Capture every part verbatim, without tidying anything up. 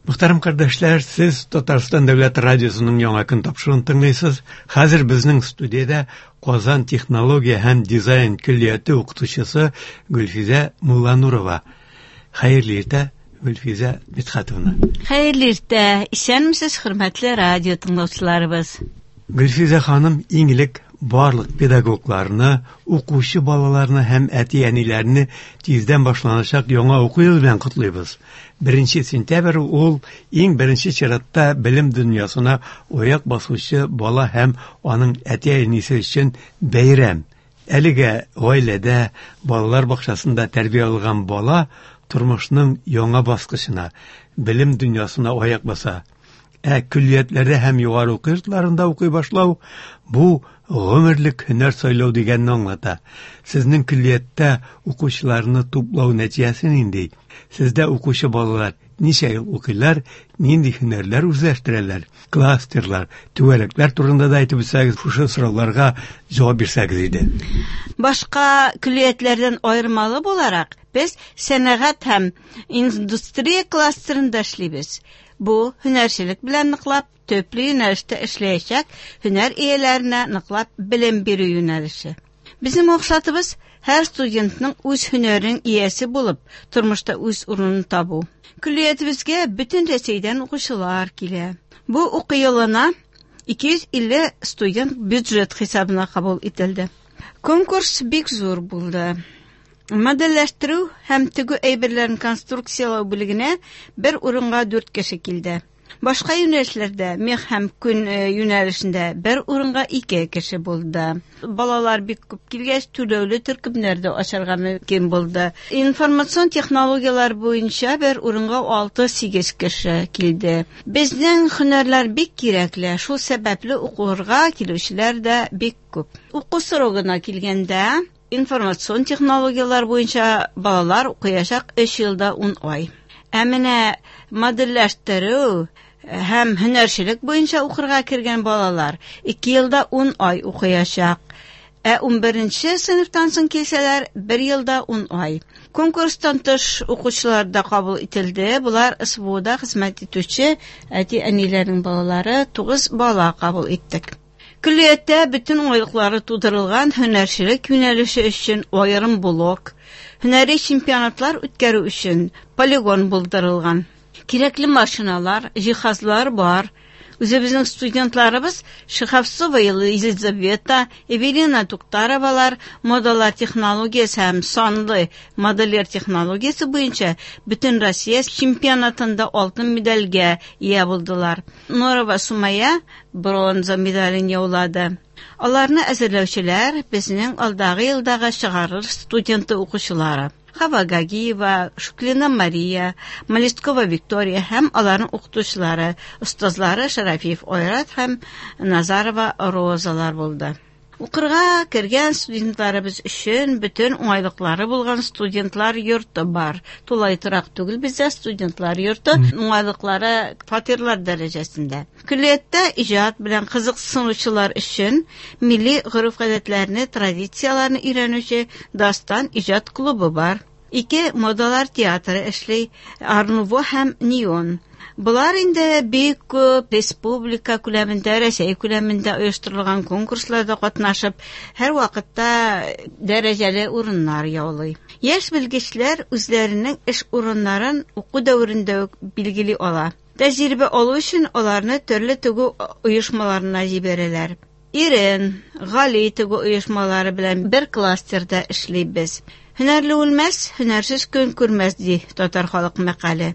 Мөхтәрәм кардәшләр, сез Татарстан Дәүләт радиосының Яңа көн тапшыруын тыңлыйсыз. Хәзер безнең студиядә Казан технология һәм дизайн көллияте укытучысы Гөлфизә Мулланурова. Хәерле иртә, Гөлфизә Мидхәтовна. Хәерле иртә. Исәнмесез, хөрмәтле радио тыңлаучыларыбыз. Гөлфизә ханым, иң элек барлык педагогларны, укучы балаларны һәм әти-әниләрне тиздән башланачак яңа уку елы белән котлыйбыз. Беренче сентябрь ул иң беренче чиратта белем дөньясына аяк басучы бала һәм аның әти-әнисе өчен бәйрәм. Әлегә гаиләдә, балалар бакчасында тәрбия алган бала тормышның яңа баскычына, белем дөньясына аяк баса. Ә көллиятләрдә һәм югары уку йортларында укый башлау бу гомерлек һөнәр сайлау дигәнне аңлата. Сезнең көллияттә укучыларны туплау нәтиҗәсе нинди? Сездә укучы балалар ничә ел укыйлар, нинди һөнәрләр үзләштерәләр? Кластерлар, түгәрәкләр турында да әйтеп үтсәгез, шушы сорауларга җавап бирсәгез иде. Башка көллиятләрдән аермалы буларак, без сәнәгать һәм индустрия кластерында эшлибез. Бу һөнәрчелек белән ныклап, төпле юнәлештә эшләячәк һөнәр ияләренә ныклап белем бирү юнәлеше. Безнең максатыбыз һәр студентның үз һөнәренең иясе булып, тормышта үз урынын табу. Көллиятебезгә бөтен Рәсәйдән укучылар килә. Бу уку елына ике йөз илле студент бюджет хисабына кабул ителде. Конкурс бик зур булды. Модельләштерү һәм тегү әйберләрен конструкцияләү бүлегенә бер урынга дүрт кеше килде. Башка юнәлешләрдә мех һәм күн, э, юнәлешендә бер урынга ике кеше булды. Балалар бик күп килгәч, түләүле төркемнәр дә ачарга мөмкин булды. Информацион технологияләр буенча бер урынга алты-сигез кеше килде. Безнең һөнәрләр бик кирәкле, шул сәбәпле укырга килүчеләр дә бик күп. Уку срогына килгәндә, информацион технологияләр буенча балалар укыячак өч елда ун ай. Ә менә модельләштерү һәм һөнәрчелек буенча укырга кергән балалар ике елда ун ай укыячак. Ә ун беренче сыйныфтан соң килсәләр, бер елда ун ай. Конкурстан тыш укучылар да кабул ителде. Булар СВОда хезмәт итүче әти-әниләрнең балалары, тугыз бала кабул иттек. Көллияттә бөтен уңайлыклары тудырылган һөнәрчелек юнәлеше өчен аерым блок, һөнәри чемпионатлар үткәрү өчен полигон булдырылган. Кирәкле машиналар, җиһазлар бар. Үзебезнең студентларыбыз Шиховцова Елизавета, Эвелина Туктаровалар модалар технологиясе һәм санлы модельер технологиясе буенча бөтен Россия чемпионатында алтын медальгә ия булдылар. Норова Сумая бронза медален яулады. Аларны әзерләүчеләр безнең алдагы елдагы чыгарыр студенты укучылары. Хава Гагиева, Шуклина Мария, Малисткова Виктория һәм аларның укытучылары, остазлары Шарафиев Айрат һәм Назарова Розалар булды. Укырга кергән студентларыбыз өчен бөтен уңайлыклары булган студентлар йорты бар. Тулай торак түгел бездә студентлар йорты, уңайлыклары фатирлар дәрәҗәсендә. Көллияттә иҗат белән кызыксынучылар өчен милли гореф-гадәтләрне, традицияләрне өйрәнүче Дастан иҗат клубы бар. Ике модалар театры эшли, Арнуво һәм Неон. Булар инде бик күп республика күләмендә, Рәсәй күләмендә оештырылган конкурсларда катнашып, һәр вакытта дәрәҗәле урыннар яулый. Яшь белгечләр үзләренең эш урыннарын уку дәверендә үк билгели ала. Тәҗрибә алу өчен аларны төрле тегү оешмаларына җибәрәләр. Ирен, Гали тегү оешмалары белән бер кластерда эшлибез. Һөнәрле үлмәс, һөнәрсез көн күрмәс, ди татар халык мәкале.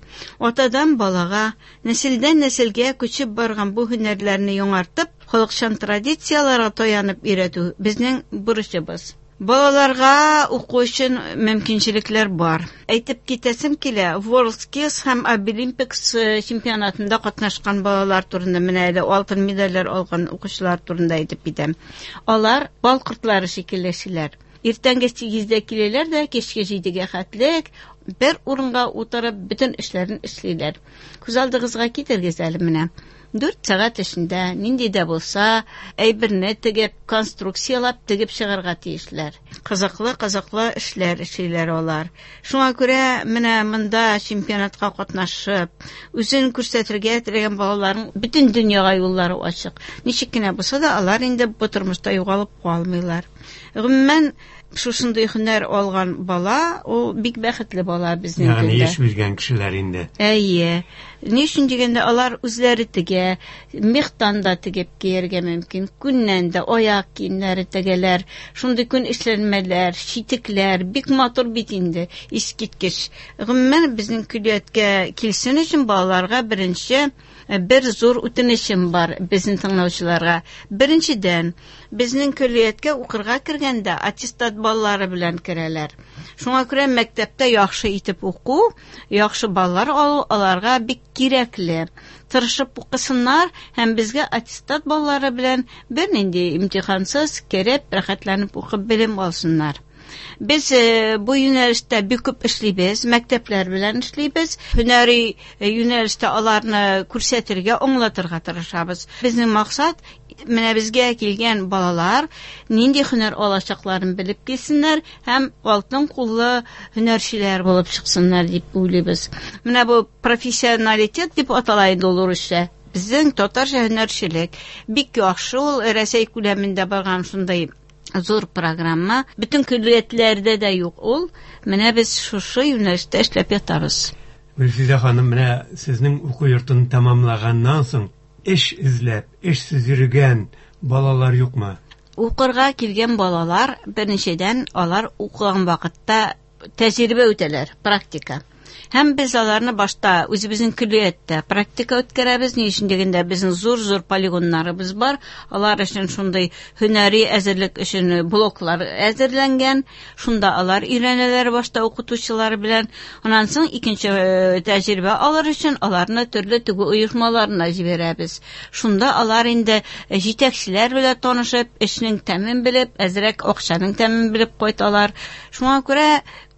Атадан балага, нәселдән нәселгә күчеп барган бу һөнәрләрне яңартып, халыкчан традицияләргә таянып өйрәтү безнең бурычыбыз. Балаларга уку өчен мөмкинчелекләр бар. Әйтеп китәсем килә, WorldSkills һәм Abilimpics чемпионатында катнашкан балалар турында, менә әле алтын медальләр алган укучылар турында әйтеп китәм. Алар бал кортлары шикелле эшлиләр. Иртәнге сигездә киләләр дә, кичке җидегә хәтлек Бер урынга утырып бөтен эшләрен эшлиләр. Күз алдыгызга китерегез әле менә. Дүрт сәгать эчендә нинди дә булса әйберне тегеп, конструкциялап тегеп чыгарга тиешләр. Кызыклы, кызыклы эшләр эшлиләр алар. Шуңа күрә менә монда чемпионатка катнашып, үзен күрсәтергә теләгән балаларның бөтен дөньяга юллары ачык. Ничек кенә булса да, алар инде бу тормышта югалып калмыйлар. Гомумән, шушындый һөнәр алган бала, ул бик бәхетле бала безнең Ягъни телдә. эш биргән кешеләр инде. Әйе. Ни өчен дигәндә, алар үзләре тегә, мехтан да тегеп кияргә мөмкин, күннән дә аяк киемнәре тегәләр, шундый күн эшләнмәләр, читекләр, бик матур бит инде, искиткеч. Гомумән, безнең көллияткә килсен өчен балаларга беренче бер зур үтенечем бар безнең тыңлаучыларга. Беренчедән, безнең көллияткә укырга кергәндә аттестат баллары белән керәләр. Шуңа күрә мәктәптә яхшы итеп уку, яхшы баллар алу аларга бик кирәкле. Тырышып укысыннар һәм безгә аттестат баллары белән бернинди имтихансыз кереп, рәхәтләнеп укып белем алсыннар. Без, э, бу юнәлештә бик күп эшлибез, мәктәпләр белән эшлибез. Һөнәри, э, юнәлештә аларны күрсәтергә, аңлатырга тырышабыз. Безнең максат, менә безгә килгән балалар нинди һөнәр алачакларын белеп килсеннәр һәм алтын куллы һөнәрчеләр булып чыксыннар дип уйлыйбыз. Менә бу профессионалитет дип атала инде ул урысча. Безнең татарча һөнәрчелек бик яхшы, ул Рәсәй күләмендә барган шундый зур программа. Бөтен көллиятләрдә дә юк ул. Менә без шушы юнәлештә эшләп ятабыз. Гөлфизә ханым, менә сезнең уку йортын тәмамлаганнан соң эш эзләп, эшсез йөргән балалар юкмы? Укырга килгән балалар, беренчедән, алар укыган вакытта тәҗрибә үтәләр, практика. Һәм без аларны башта үзебезнең көллияттә практика үткәрәбез. Ни өчен дигәндә, безнең зур-зур полигоннарыбыз бар. Алар өчен шундый һөнәри әзерлек өчен блоклар әзерләнгән. Шунда алар өйрәнәләр башта укытучылар белән. Аннан соң икенче, э, тәҗрибә алыр өчен аларны төрле тегү оешмаларына җибәрәбез. Шунда алар инде җитәкчеләр белән танышып, эшнең тәмен белеп, әзрәк акчаның тәмен белеп кайталар. Шуңа күрә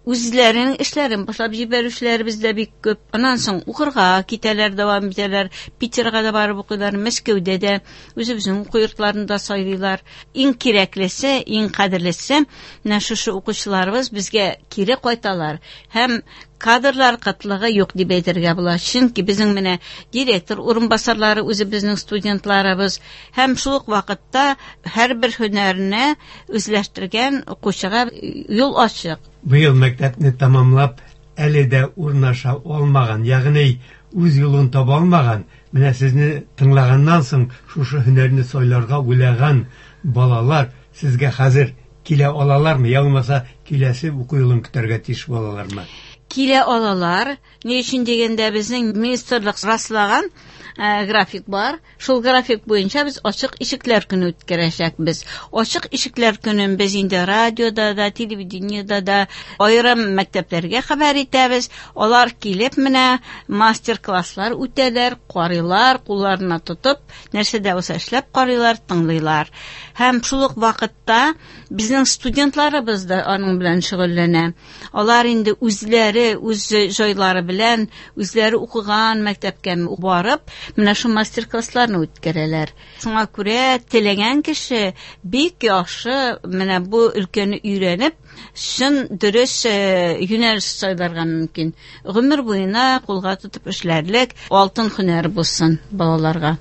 үзләренең эшләрен башлап җибәрүчеләребез дә бик күп. Аннан соң укырга китәләр, дәвам итәләр. Питерга да барып укыйлар, Мәскәүдә дә үзебезнең уку йортларын да сайлыйлар. Иң кирәклесе, иң кадерлесе, менә шушы укучыларыбыз безгә кире кайталар. Һәм кадрлар кытлыгы юк дип әйтергә була. Чөнки безнең менә директор урынбасарлары үзебезнең студентларыбыз һәм шул ук вакытта һәрбер һөнәрне үзләштергән укучыга юл ачык. Быел мәктәпне тәмамлап, әле дә урнаша алмаган, ягъни үз юлын таба алмаган, менә сезне тыңлаганнан соң шушы һөнәрне сайларга уйлаган балалар сезгә хәзер килә алалармы, я булмаса киләсе уку юлын көтәргә тиеш булалармы? Килә алалар. Ни өчен дигәндә, безнең министрлык раслаган, э, график бар. Шул график буенча без ачык ишекләр көне үткәрәчәкбез. Ачык ишекләр көнен без инде радиода да, телевидениедә дә, аерым мәктәпләргә хәбәр итәбез. Алар килеп менә мастер-класслар үтәләр, карыйлар, кулларына тотып, нәрсә дә булса эшләп карыйлар, тыңлыйлар. Һәм шул ук вакытта безнең студентларыбыз да аның белән шөгыльләнә. Алар инде үзләре, үз җайлары белән, үзләре укыган мәктәпкә барып, менә шул мастер-классларны үткәрәләр. Шуңа күрә теләгән кеше бик яхшы менә бу өлкәне өйрәнеп, чын дөрес, э, юнәлеш сайларга мөмкин. Гомер буена кулга тотып эшләрлек алтын һөнәр булсын балаларга.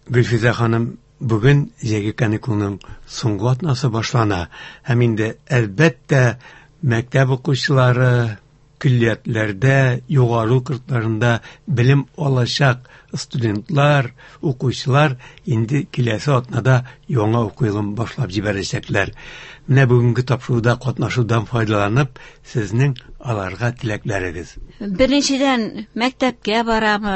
Гөлфизә ханым, бүген җәйге каникулның соңгы атнасы башлана. Һәм инде әлбәттә мәктәп укучылары көллиятләрдә, югары уку йортларында белем алачак студентлар, укучылар инде киләсе атнада яңа уку елын башлап җибәрәчәкләр. Менә бүгенге тапшыруда катнашудан файдаланып, сезнең аларга теләкләрегез. Беренчедән, мәктәпкә барам,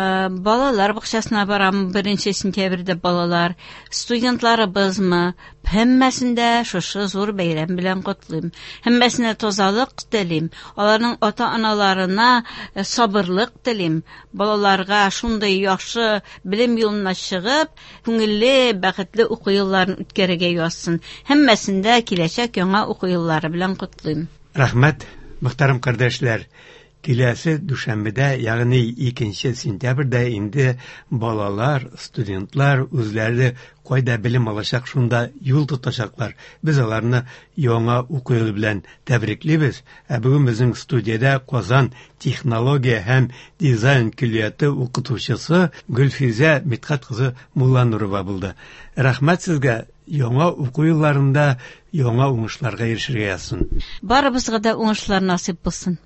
балалар бакчасына барам, беренче сентябрьдә балалар, студентларыбызмы, һәммәсен дә шушы зур бәйрәм белән котлыйм. Һәммәсенә тазалык телим, аларның ата-аналарына сабырлык телим. Балаларга шундый яхшы белем юлына чыгып, күңелле, бәхетле уку елларын үткәрергә язсын. Һәммәсен дә киләчәк яңа уку еллары белән котлыйм. Рәхмәт, мөхтәрәм кардәшләр. Киләсе дүшәмбедә, ягъни икенче сентябрьдә инде балалар, студентлар үзләре кайда белем алачак, шунда юл тотачаклар. Без аларны яңа уку елы белән тәбриклибез. Ә бүген безнең студиядә Казан технология һәм дизайн көллияте укытучысы Гөлфизә Мидхәт кызы Мулланурова булды. Рәхмәт сезгә, яңа уку елларында яңа уңышларга ирешергә язсын. Барыбызга да уңышлар насыйп булсын.